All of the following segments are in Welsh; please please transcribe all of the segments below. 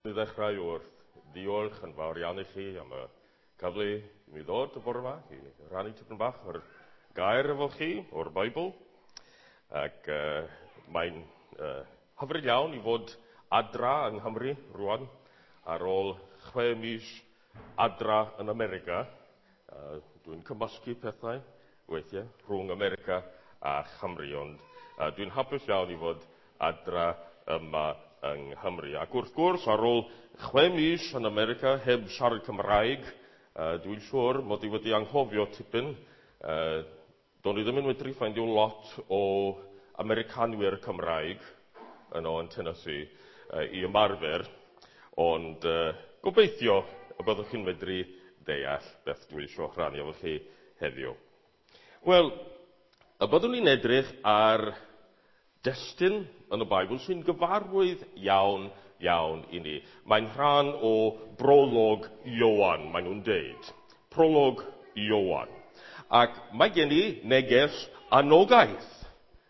I ddechrau wrth ddiolch yn fawr iawn i chi am y cyfle i mi ddod y bore yma i rannu tipyn bach o'r gair efo chi o'r Beibl. Ac mae'n hyfryd iawn i fod adra yng Nghymru rwan ar ôl 6 mis adra yn America. Dwi'n cymysgu pethau weithiau rhwng America a Chymru, ond dwi'n hapus iawn i fod adra yma yng Nghymru. Ac wrth gwrs, ar ôl 6 mis yn America heb siarad Cymraeg, dwi'n siŵr mod i wedi anghofio tipyn. Do'n i ddim yn medru ffeindio lot o Americanwyr Cymraeg yno yn Tennessee i ymarfer, ond gobeithio y byddwch chi'n medru deall beth dwi eisiau rhannu efo chi heddiw. Wel, y byddwn ni'n edrych ar destun yn y Beibl sy'n gyfarwydd iawn, iawn i ni. Mae'n rhan o brolog Ioan, maen nhw'n deud. Prolog Ioan. Ac mae gen i neges anogaeth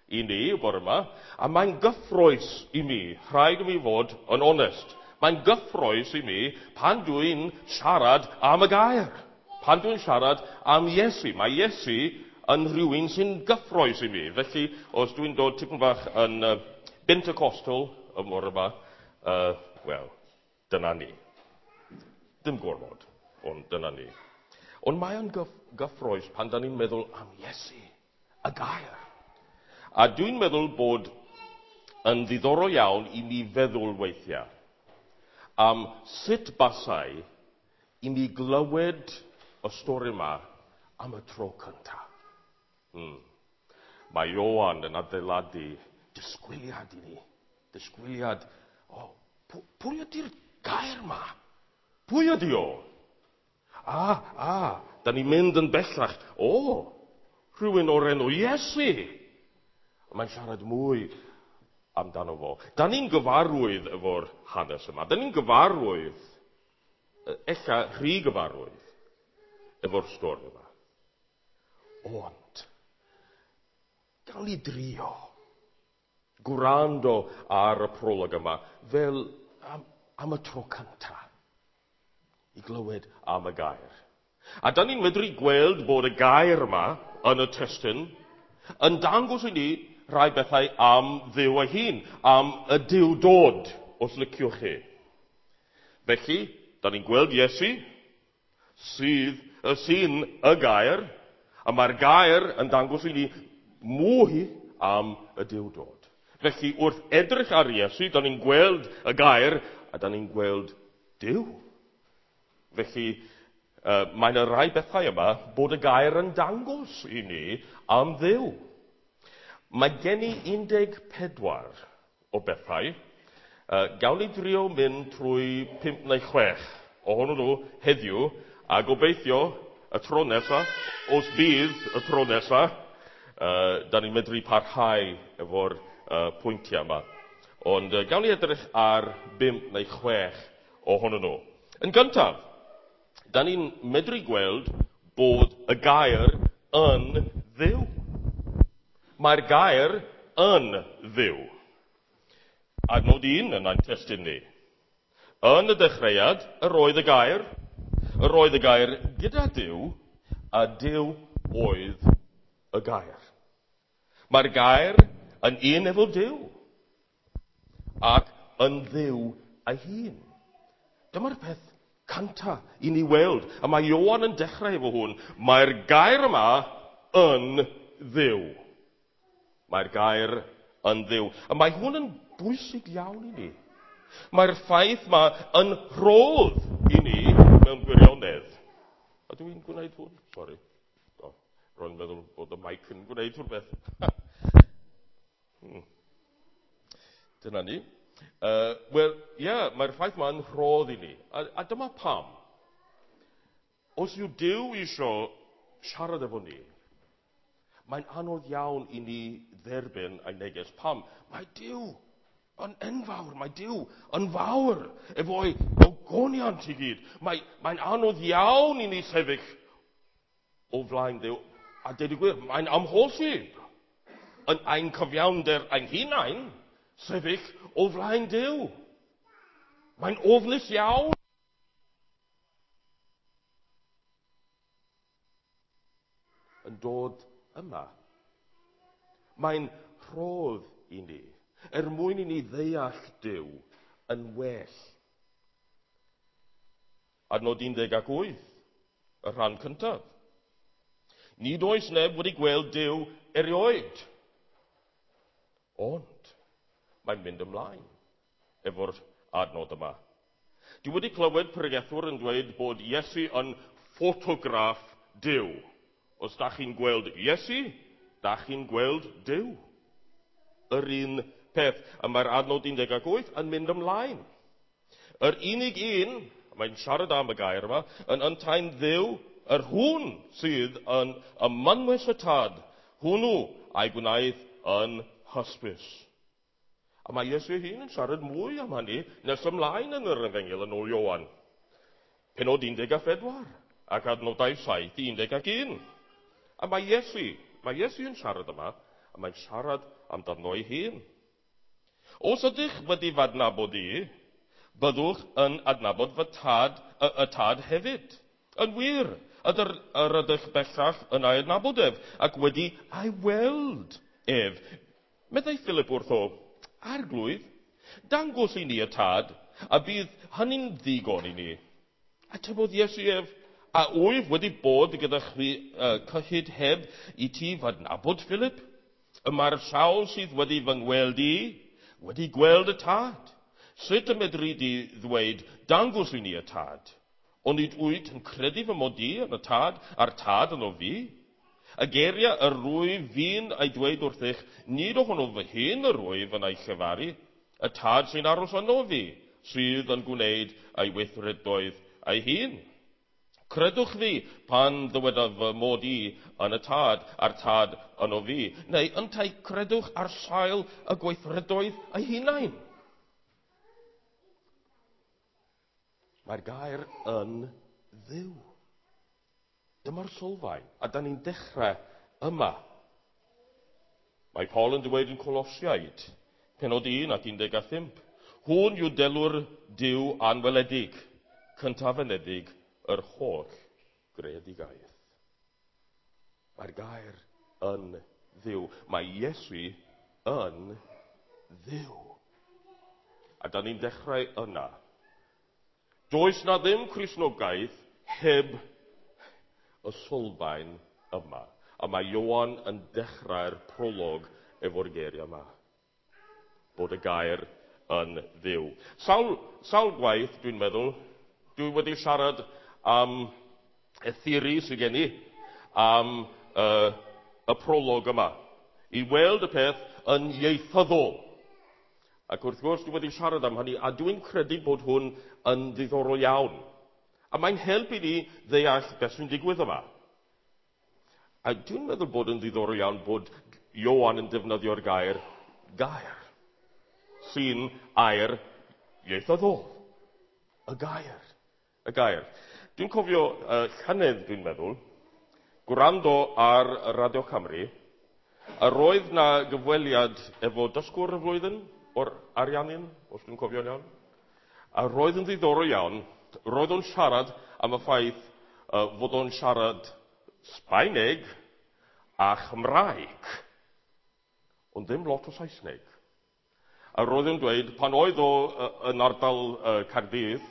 i ni y bore yma, a mae'n gyffrous i mi, rhaid i mi fod yn onest. Mae'n gyffrous i mi pan dwi'n siarad am y gair. Pan dwi'n siarad am Iesu. Mae Iesu yn rhywun sy'n gyffrous i mi. Felly, os dwi'n dod tipyn bach yn Pentecostal y bore yma, wel, dyna ni. Dim gormod, ond dyna ni. Ond mae o'n gyffrous pan da ni'n meddwl am Iesu, y gair. A dwi'n meddwl bod yn ddiddorol iawn i mi feddwl weithiau am sut basai i mi glywed y stori yma am y tro cyntaf. Mae Ioan yn adeiladu disgwyliad i ni. Disgwyliad, o, pwy ydy'r gair yma? Pwy ydy o? Da ni'n mynd yn bellach. O, rhywun o'r enw Iesu. Mae'n siarad mwy amdano fo. Da ni'n gyfarwydd efo'r hanes yma. Da ni'n gyfarwydd, ella rhy gyfarwydd, efo'r stori yma. Ond, gawn ni drio gwrando ar y prolog yma fel am y tro cyntaf i glywed am y gair. A da ni'n medru gweld bod y gair yma yn y testun yn dangos i ni rhai bethau am Dduw ei hun, am y Duwdod, os liciwch chi. Felly, da ni'n gweld Iesu, sy'n y gair, a mae'r gair yn dangos i ni mwy am y Duwdod. Felly, wrth edrych ar Iesu, da ni'n gweld y gair, a da ni'n gweld Duw. Felly, mae yna rai bethau yma bod y gair yn dangos i ni am Dduw. Mae gen i 14 o bethau. Gawn ni drio mynd trwy 5 neu 6 ohonyn nhw heddiw, a gobeithio y tro nesa, os bydd y tro nesa, da ni'n medru parhau efo'r pwyntiau yma. Ond gawn ni edrych ar 5 neu 6 ohonyn nhw. Yn gyntaf, da ni'n medru gweld bod y gair yn Dduw. Mae'r gair yn Dduw. Adnod 1 yn ein testun ni. Yn y dechreuad, yr oedd y gair, yr oedd y gair gyda Duw, a Duw oedd y gair. Mae'r gair yn un efo Duw, ac yn Dduw ei hun. Dyma'r peth cynta i ni weld, a mae Ioan yn dechrau efo hwn. Mae'r gair yma yn Dduw. Mae'r gair yn Dduw. A mae hwn yn bwysig iawn i ni. Mae'r ffaith yma yn rhodd i ni mewn gwirionedd. A dwi'n gwneud hwn? Sori. O, ro'n meddwl bod y mic yn gwneud rhywbeth. Dyna ni. Wel, ie, mae'r ffaith yma yn rhodd i ni. A dyma pam. Os yw Duw isio siarad efo ni, mae'n anodd iawn i ni dderbyn ei neges. Pam? Mae Duw yn enfawr, mae Duw yn fawr efo'i ogoniant i gyd. Mae'n anodd iawn i ni sefyll o flaen Duw. A deud y gwir, mae'n amhosib yn ein cyfiawnder ein hunain sefyll o flaen Duw. Mae'n ofnus iawn. Yn dod yma. Mae'n rhodd i ni, er mwyn i ni ddeall Duw yn well. Adnod 18, y rhan cyntaf. Nid oes neb wedi gweld Duw erioed. Ond mae'n mynd ymlaen efo'r adnod yma. Dwi wedi clywed pregethwr yn dweud bod Iesu yn ffotograff Duw. Os da chi'n gweld Iesu, da chi'n gweld Duw. Yr un peth. A mae'r adnod 18 yn mynd ymlaen. Yr unig un, mae'n siarad am y gair yma, yn yntau'n Dduw, yr hwn sydd yn ymynwys y tad, hwnnw a'i gwnaeth yn hysbys. A mae Iesu ei hun yn siarad mwy am hynny nes ymlaen yn yr Efengyl yn ôl Ioan. Penod 14 ac adnodau 7 i 11. A mae Iesu yn siarad yma, a mae'n siarad amdano ei hun. Os ydych wedi f'adnabod i, byddwch yn adnabod fy tad, y tad hefyd. Yn wir, yr ydych bellach yn ei adnabod ef, ac wedi ei weld ef. Meddai Philip wrtho, Arglwydd, dangos i ni y tad, a bydd hynny'n ddigon i ni. Atebodd Iesu ef, a wyf wedi bod gyda chwi cyhyd heb i ti f'adnabod, Philip? Y mae'r sawl sydd wedi fy ngweld i, wedi gweld y tad. Sut y medri di ddweud, dangos i ni y tad? Ond nid wyt yn credu fy mod i yn y tad, a'r tad yno fi? Y geiriau yr rwyf fi'n ei dweud wrthych, nid ohono fy hun yr rwyf yn ei llefaru, y tad sy'n aros yno fi, sydd yn gwneud ei weithredoedd ei hun. Credwch fi pan ddywedaf fy mod i yn y tad, a'r tad yno fi, neu yntau credwch ar sail y gweithredoedd ei hunain. Mae'r gair yn Dduw. Dyma'r sylfaen, a da ni'n dechrau yma. Mae Paul yn dweud yn Colosiaid, penod 1 ac 15, hwn yw delw'r Duw anweledig, cyntafenedig yr holl greadigaeth. Mae'r gair yn Dduw. Mae Iesu yn Dduw. A da ni'n dechrau yna. Does na ddim Cristnogaeth heb y sylfaen yma. A mae Ioan yn dechrau'r prolog efo'r geiriau yma. Bod y gair yn Dduw. Sawl gwaith, dwi'n meddwl, dwi wedi siarad am y theori sydd gen i, am y prolog yma. I weld y peth yn ieithyddol. Ac wrth gwrs, dwi wedi siarad am hynny, a dwi'n credu bod hwn yn ddiddorol iawn. A mae'n helpu ni ddeall beth sy'n digwydd yma. A dwi'n meddwl bod yn ddiddorol iawn bod Ioan yn defnyddio'r gair gair, sy'n air ieithyddol. Y gair. Y gair. Dwi'n cofio llynedd, dwi'n meddwl, gwrando ar Radio Cymru, a roedd na gyfweliad efo dysgwr y flwyddyn o'r Ariannin, os dwi'n cofio'n iawn. A roedd yn ddiddorol iawn, roedd o'n siarad am y ffaith fod o'n siarad Sbaeneg a Chymraeg, ond ddim lot o Saesneg. A roedd o'n dweud, pan oedd o yn ardal Caerdydd,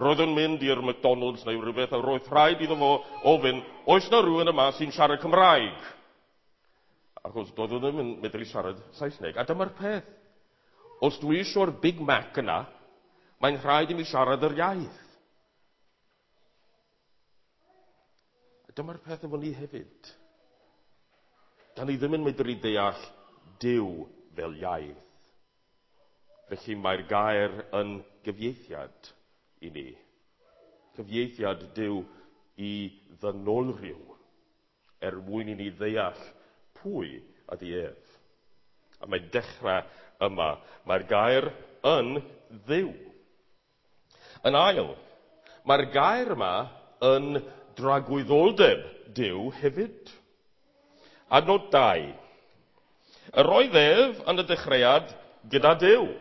roedd o'n mynd i'r McDonald's neu rhywbeth, a roedd rhaid iddo fo ofyn, oes na rhywun yma sy'n siarad Cymraeg? Achos doedd o ddim yn medru siarad Saesneg. A dyma'r peth. Os dwi eisiau'r Big Mac yna, mae'n rhaid i mi siarad yr iaith. A dyma'r peth efo ni hefyd. Da ni ddim yn medru deall Duw fel iaith. Felly mae'r gair yn gyfieithiad i ni. Cyfieithiad Duw i ddynolryw, er mwyn i ni ddeall pwy ydy ef. A mae'n dechrau yma. Mae'r gair yn Dduw. Yn ail, mae'r gair yma yn dragwyddoldeb Duw hefyd. Adnod 2. Yr oedd ef yn y dechreuad gyda Duw.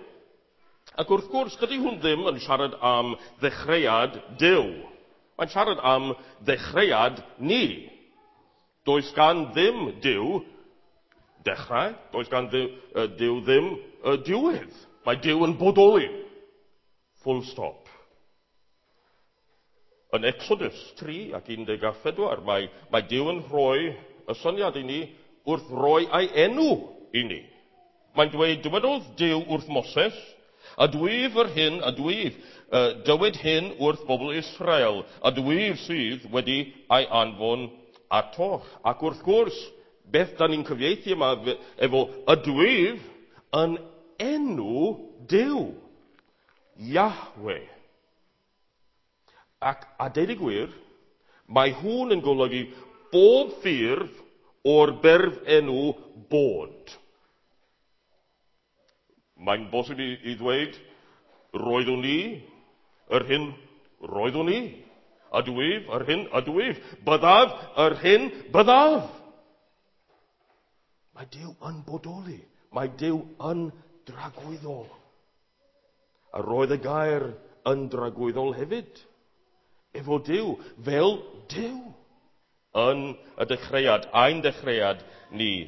Ac wrth gwrs, dydy hwn ddim yn siarad am ddechreuad Duw. Mae'n siarad am ddechreuad ni. Does gan ddim Duw dechrau, does gan Duw ddim diwedd. Mae Duw yn bodoli. Full stop. Yn Exodus 3 ac 14, mae Duw yn rhoi y syniad i ni wrth roi ei enw i ni. Mae'n dweud, dywedodd Duw wrth Moses, a dwyf yr hyn, a dwyf, dywed hyn wrth bobl Israel, a dwyf sydd wedi ei anfon atoch. Ac wrth gwrs, beth da ni'n cyfieithu yma efo y dwyf yn enw Duw, Yahweh. Ac a deud y gwir, mae hwn yn golygu bob ffurf o'r berf enw bod. Mae'n bosib i ddweud, roeddwn i, yr hyn roeddwn i, a dwyf, yr hyn a dwyf, byddaf, yr hyn byddaf. Mae Duw yn bodoli. Mae Duw yn dragwyddol. A roedd y gair yn dragwyddol hefyd. Efo Duw, fel Duw, yn y dechreuad, ein dechreuad ni.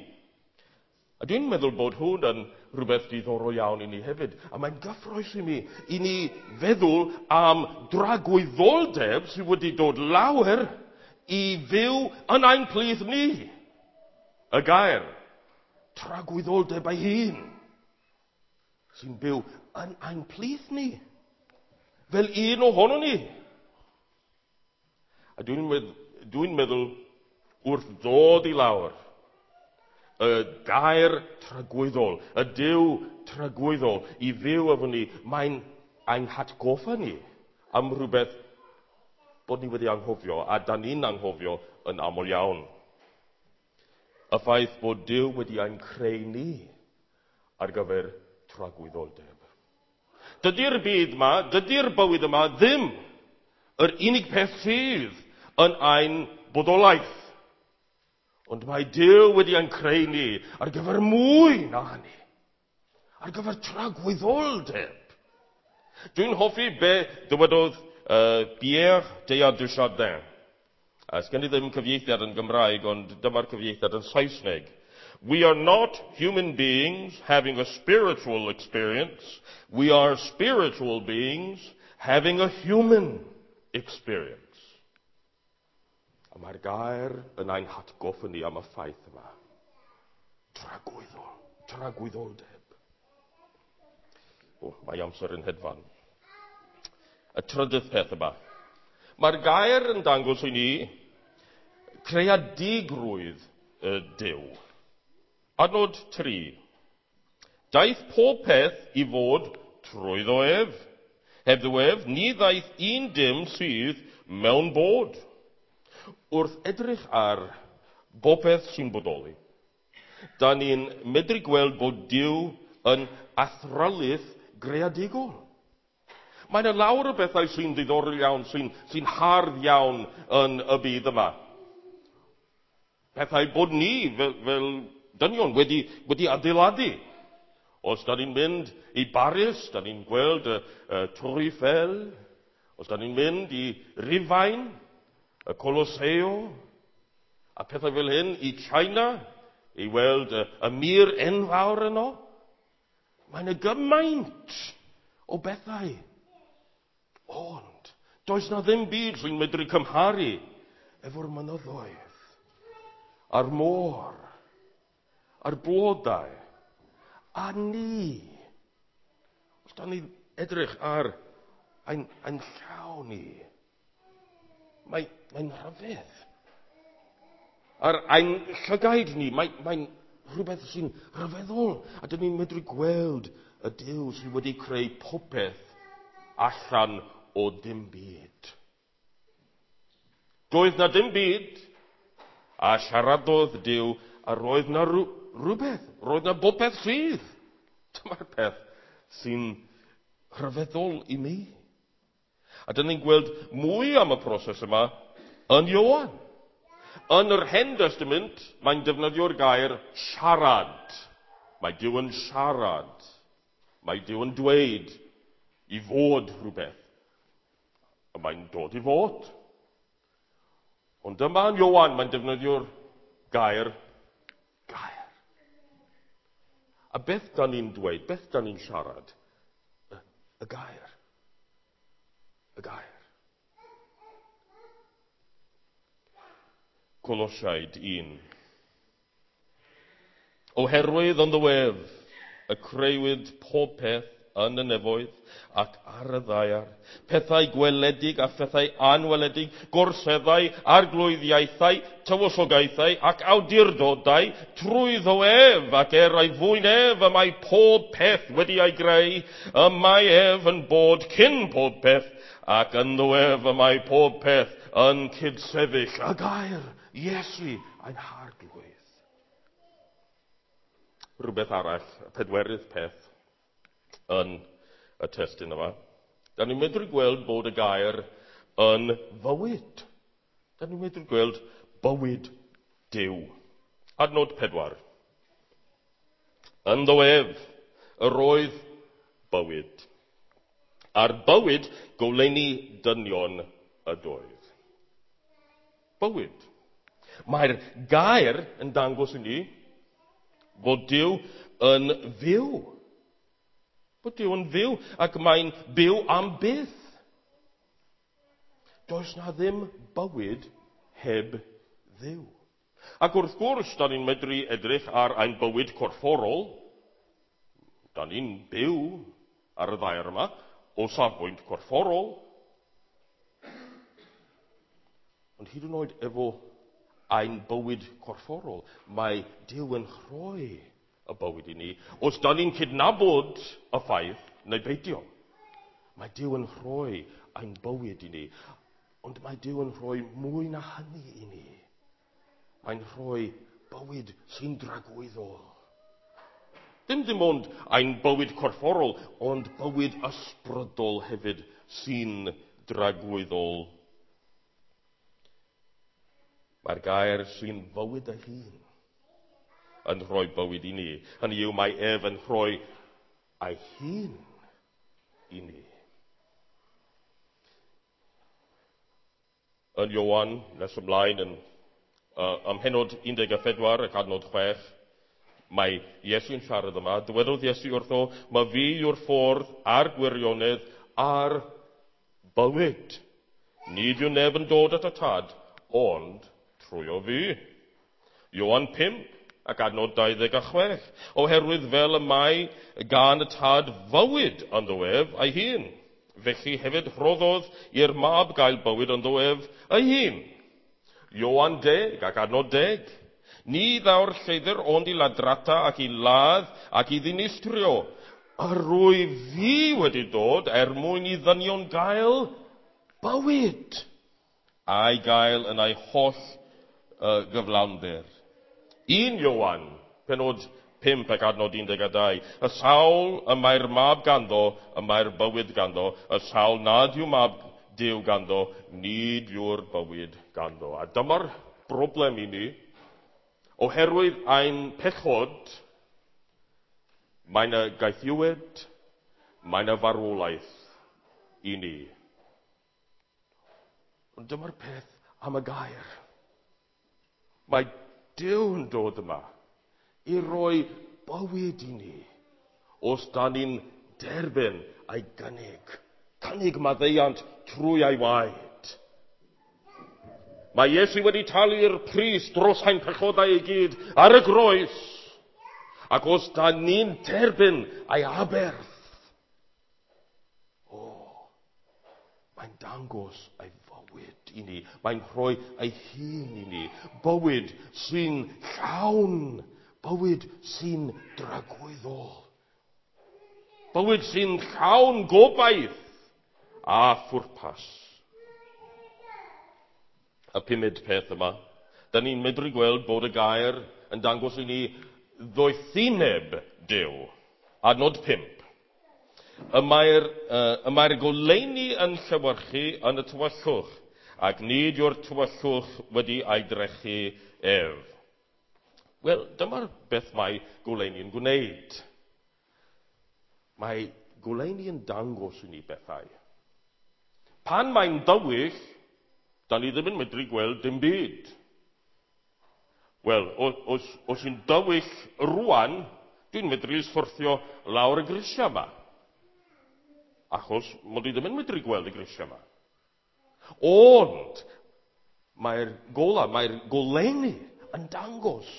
A dwi'n meddwl bod hwn yn rhywbeth diddorol iawn i ni hefyd. A mae'n gyffrous i mi, i ni feddwl am dragwyddoldeb sydd wedi dod lawer i fyw yn ein plith ni. Y gair, tragwyddoldeb ei hun, sy'n byw yn ein plith ni, fel un ohono ni. A dwi'n meddwl wrth ddod i lawr, y gair tragwyddol, y Duw tragwyddol i fyw efo ni, mae'n ein hatgoffa ni am rhywbeth bod ni wedi anghofio, a da ni'n anghofio yn aml iawn. Y ffaith bod Duw wedi ein creu ni ar gyfer tragwyddoldeb. Dydy'r byd yma, dydy'r bywyd yma ddim yr unig peth sydd yn ein bodolaeth. Ond mae Duw wedi ein creu ni ar gyfer mwy na hynny. Ar gyfer tragwyddoldeb. Dwi'n hoffi be dywedodd Pierre Teilhard de Chardin. Sgen i ddim cyfieithiad yn Gymraeg, ond dyma'r cyfieithiad yn Saesneg. We are not human beings having a spiritual experience. We are spiritual beings having a human experience. A mae'r gair yn ein hatgoffa ni am y ffaith yma. Tragwyddol, tragwyddoldeb. O, mae amser yn hedfan. Y trydydd peth yma. Mae'r gair yn dangos i ni creadigrwydd y Duw. Adnod 3. Daeth pob peth i fod trwyddo ef. Hebddo ef, ni ddaeth un dim sydd mewn bod. Wrth edrych ar bopeth sy'n bodoli, da ni'n medru gweld bod Duw yn athrylith greadigol. Mae yna lawer o bethau sy'n ddiddorol iawn, sy'n hardd iawn yn y byd yma. Pethau bod ni fel dynion wedi adeiladu. Os da ni'n mynd i Baris, da ni'n gweld y Tour Eiffel. Os da ni'n mynd i Rufain, y Colosseo, a pethau fel hyn, i China, i weld y mur enfawr yno. Mae yna gymaint o bethau. Ond, does na ddim byd sy'n medru cymharu efo'r mynyddoedd, a'r môr, a'r blodau, a ni. Os da ni edrych ar ein llaw ni, mae'n rhyfedd. Ar ein llygaid ni, mae'n rhywbeth sy'n rhyfeddol. A dyn ni'n medru gweld y Duw sydd wedi creu popeth allan o dim byd. Doedd na dim byd, a siaradodd Duw, a roedd na rhywbeth, roedd na bopeth sydd. Dyma'r peth sy'n rhyfeddol i mi. A dyn ni'n gweld mwy am y proses yma yn Ioan. Yn yr Hen Testament, mae'n defnyddio'r gair siarad. Mae Duw yn siarad. Mae Duw yn dweud. i fod rhywbeth, y mae'n dod i fod. Ond yma yn Ioan, mae'n defnyddio'r gair gair. A beth da ni'n dweud, beth da ni'n siarad? Y gair. Y gair. Colosiaid 1. Oherwydd ynddo ef, y creuwyd pob peth yn y nefoedd ac ar y ddaear, pethau gweledig a phethau anweledig, gorseddau, arglwyddiaethau, tywysogaethau ac awdurdodau, trwyddo ef ac er ei fwyn ef y mae pob peth wedi ei greu, y mae ef yn bod cyn pob peth, ac ynddo ef y mae pob peth yn cydsefyll. Y gair, Iesu, ein harglwydd. Rhywbeth arall, y pedwerydd peth yn y testun yma. Da ni'n medru gweld bod y gair yn fywyd. Da ni'n medru gweld bywyd Duw. Adnod 4. Ynddo ef, yr oedd bywyd. A'r bywyd goleuni dynion ydoedd. Bywyd. Mae'r gair yn dangos i ni fod Duw yn fyw. Bod Duw yn fyw ac mae'n byw am byth. Does na ddim bywyd heb Dduw. Ac wrth gwrs, da ni'n medru edrych ar ein bywyd corfforol. Da ni'n byw ar y ddaear yma o safbwynt corfforol. Ond hyd yn oed efo ein bywyd corfforol, mae Duw yn rhoi y bywyd i ni. Os da ni'n cydnabod y ffaith neu beidio, mae Duw yn rhoi ein bywyd i ni. Ond mae Duw yn rhoi mwy na hynny i ni. Mae'n rhoi bywyd sy'n dragwyddol. Dim ond ein bywyd corfforol, ond bywyd ysbrydol hefyd sy'n dragwyddol. Mae'r gair sy'n fywyd ei hun yn rhoi bywyd i ni. Hynny yw, mae ef yn rhoi ei hun i ni. Yn Ioan, nes ymlaen, yn ym mhennod 14 ac adnod 6, mae Iesu'n siarad yma. Dywedodd Iesu wrtho, mae fi yw'r ffordd a'r gwirionedd a'r bywyd. Nid yw neb yn dod at y tad, ond trwy o fi. Ioan 5 ac adnod 26. Oherwydd fel y mae gan y tad fywyd ynddo ef ei hun. Felly hefyd rhoddodd i'r mab gael bywyd ynddo ef ei hun. Ioan 10 ac adnod 10. Ni ddaw'r lleidr ond i ladrata ac i ladd ac i ddinistrio. A rwy fi wedi dod er mwyn i ddynion gael bywyd a'i gael yn ei holl gyflawnder. 1 Ioan, penod 5 ac adnod 12. Y sawl y mae'r mab ganddo, y mae'r bywyd ganddo. Y sawl nad yw mab Duw ganddo, nid yw'r bywyd ganddo. A dyma'r broblem i ni. Oherwydd ein pechod, mae'n y gaethiwed, mae'n y farwolaeth i ni. Ond dyma'r peth am y gair. Mae Duw yn dod yma i roi bywyd i ni os da ni'n derbyn ei gynnig. Cynnig maddeuant trwy ei waed. Mae Iesu wedi talu'r pris dros ein pechodau i gyd ar y groes. Ac os da ni'n derbyn ei aberth, mae'n dangos ei fywyd i ni. Mae'n rhoi ei hun i ni. Bywyd sy'n llawn. Bywyd sy'n dragwyddol. Bywyd sy'n llawn gobaith a phwrpas. Y pumed peth yma, da ni'n medru gweld bod y gair yn dangos i ni ddoethineb Duw. Adnod 5. Y mae'r goleuni yn llewyrchu yn y tywyllwch, ac nid yw'r tywyllwch wedi ei drechu ef. Wel, dyma'r beth mae goleuni'n gwneud. Mae Goleuni yn dangos i ni bethau. Pan mae'n dywyll, da ni ddim yn medru gweld dim byd. Wel, os yw'n dywyll rwan, dwi'n medru syrthio lawr y grisiau yma. Achos mod i ddim yn medru gweld y grisiau yma. Ond mae'r gola, mae'r goleuni yn dangos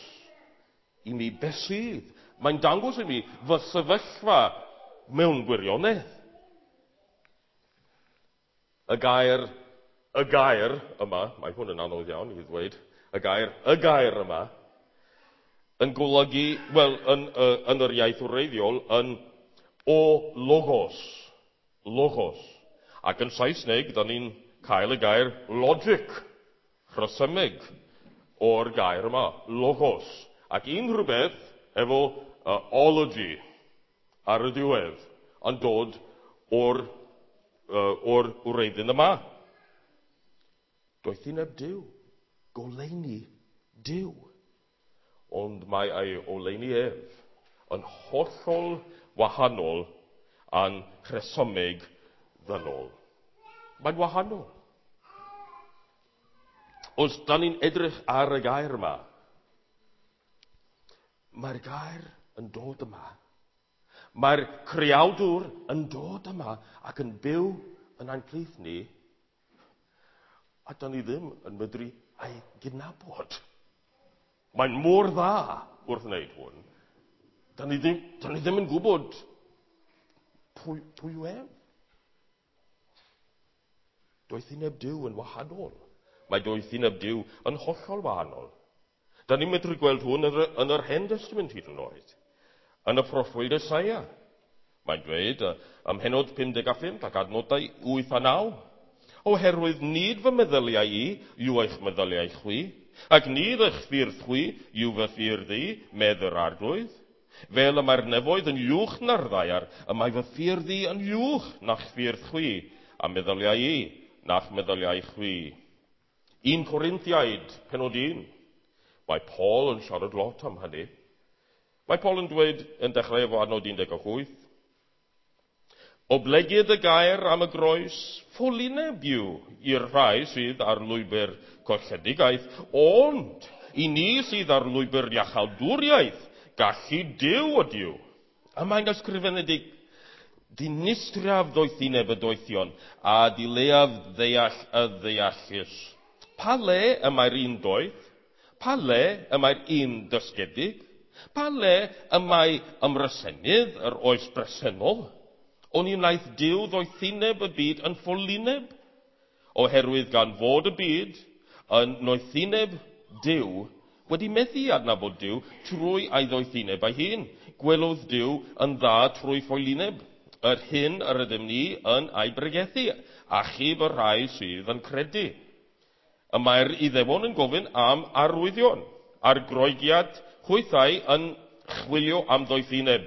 i mi beth sydd. Mae'n dangos i mi fy sefyllfa mewn gwirionedd. Y gair yma, mae hwn yn anodd iawn i ddweud, y gair yma, yn golygu, wel, yn yr iaith wreiddiol, yn o logos, logos. Ac yn Saesneg, da ni'n cael y gair logic, rhesymeg, o'r gair yma, logos. Ac unrhyw beth efo ology ar y diwedd yn dod o'r wreiddyn yma. Doethineb Duw, goleuni Duw. Ond mae ei oleuni ef yn hollol wahanol a'n rhesymeg ddynol. Mae'n wahanol. Os da ni'n edrych ar y gair yma, mae'r gair yn dod yma. Mae'r creawdwr yn dod yma ac yn byw yn ein plith ni, a da ni ddim yn medru ei gydnabod. Mae'n mor dda wrth wneud hwn. Da ni ddim yn gwybod pwy yw ef. Doethineb Duw yn wahanol. Mae doethineb Duw yn hollol wahanol. Da ni'n medru gweld hwn yn yr Hen Testament hyd yn oed. Yn y proffwyd Esaia. Mae'n dweud ym mhennod 55 ac adnodau 8 a 9. Oherwydd nid fy meddyliau i yw eich meddyliau chwi, ac nid eich ffyrdd chwi yw fy ffyrdd i, medd yr Arglwydd. Fel y mae'r nefoedd yn uwch na'r ddaear, y mae fy ffyrdd i yn uwch na'ch ffyrdd chwi, a meddyliau i na'ch meddyliau chwi. 1 Corinthiaid, pennod 1. Mae Paul yn siarad lot am hynny. Mae Paul yn dweud yn dechrau efo adnod 18, Oblegid y gair am y groes, ffolineb yw i'r rhai sydd ar lwybr colledigaeth, ond i ni sydd ar lwybr iachawdwriaeth, gallu Duw ydyw. A mae'n ysgrifenedig, dinistriaf ddoethineb y doethion, a dileaf ddeall y ddeallus. Pa le y mae'r un doeth? Pa le y mae'r un dysgedig? Pa le y mae ymresenydd yr oes bresennol? Oni wnaeth Duw ddoethineb y byd yn ffolineb, oherwydd gan fod y byd yn noethineb Duw wedi methu adnabod Duw trwy ei ddoethineb ei hun. Gwelodd Duw yn dda trwy ffolineb, yr hyn yr ydym ni yn ei bregethu, achub y rhai sydd yn credu. Y mae'r Iddewon yn gofyn am arwyddion, a'r Groegiad hwythau yn chwilio am ddoethineb.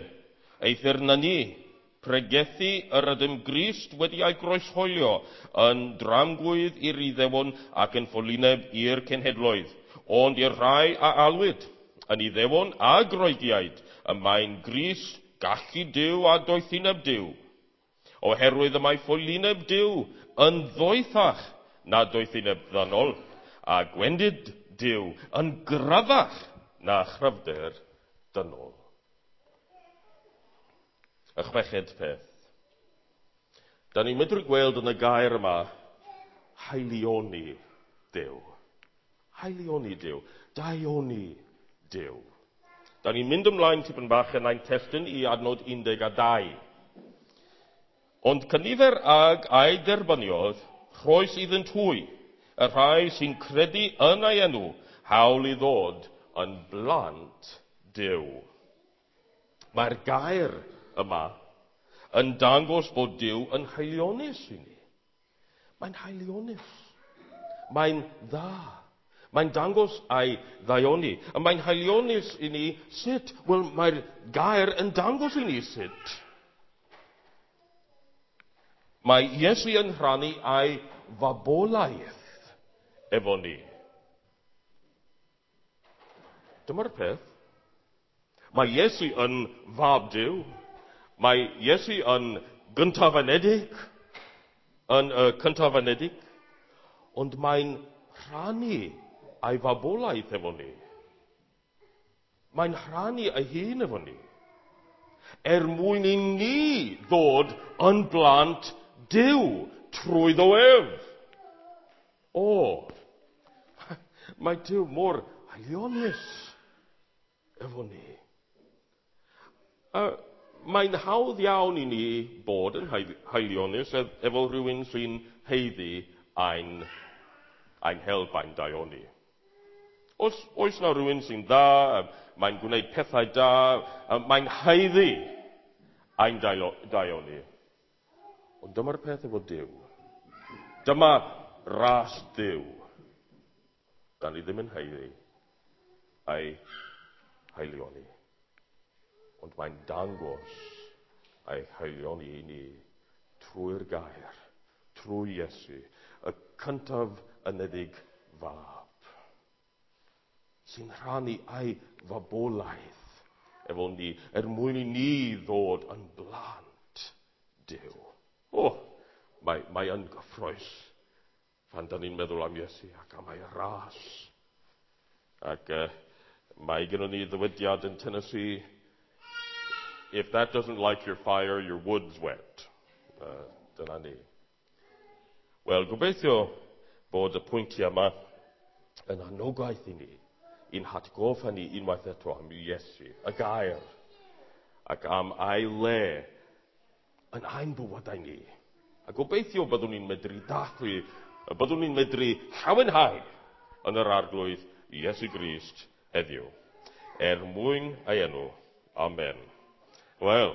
Eithr na ni, pregethu yr ydym Grist wedi ei groeshoelio yn dramgwydd i'r Iddewon ac yn ffolineb i'r cenhedloedd, ond i'r rhai a alwyd yn Iddewon a Groegiaid, y mae'n Grist gallu Duw a doethineb Duw. Oherwydd y mae ffolineb Duw yn ddoethach na doethineb ddynol, a gwendid Duw yn gryfach na chryfder dynol. Y chweched peth. Da ni'n medru gweld yn y gair yma haelioni Duw. Haelioni Duw. Daioni Duw. Da ni'n mynd ymlaen tipyn bach yn ein testun i adnod 12. Ond cynifer ag a'i derbyniodd, rhoes iddynt hwy, y rhai sy'n credu yn ei enw, hawl i ddod yn blant Duw. Mae'r gair yma yn dangos bod Duw yn haelionus i ni. Mae'n haelionus. Mae'n dda. Mae'n dangos ei ddaioni. A mae'n haelionus i ni sut? Wel, mae'r gair yn dangos i ni sut. Mae Iesu yn rhannu ei fabolaeth efo ni. Dyma'r peth. Mae Iesu yn fab Duw. Mae Iesu yn gyntaf-anedig, yn y cyntaf-anedig, ond mae'n rhannu ei fabolaeth efo ni. Mae'n rhannu ei hun efo ni. Er mwyn i ni ddod yn blant Duw trwyddo ef. O, mae Duw mor haelionus efo ni. Mae'n hawdd iawn i ni bod yn haelionus efo rhywun sy'n haeddu ein help, ein daioni. Os oes na rhywun sy'n dda, mae'n gwneud pethau da, mae'n haeddu ein daioni. Ond dyma'r peth efo Duw. Dyma ras Duw. Da ni ddim yn haeddu ei haelioni. Ond mae'n dangos ei haelioni i ni trwy'r gair, trwy Iesu, y cyntaf anedig fab, sy'n rhannu ei fabolaeth efo ni, er mwyn i ni ddod yn blant Duw. O, mae yn gyffrous pan da ni'n meddwl am Iesu ac am ei ras. Ac mae gennym ni ddywediad yn Tennessee, if that doesn't light your fire, your wood's wet. Dyna ni. Wel, gobeithio bod y pwyntiau yma yn anogaeth i ni, i'n hatgoffa ni unwaith eto am Iesu, y gair, ac am ei le yn ein bywydau ni. A gobeithio byddwn ni'n medru dathlu, byddwn ni'n medru llawenhau yn yr Arglwydd Iesu Grist heddiw. Er mwyn ei enw. Amen. Wel,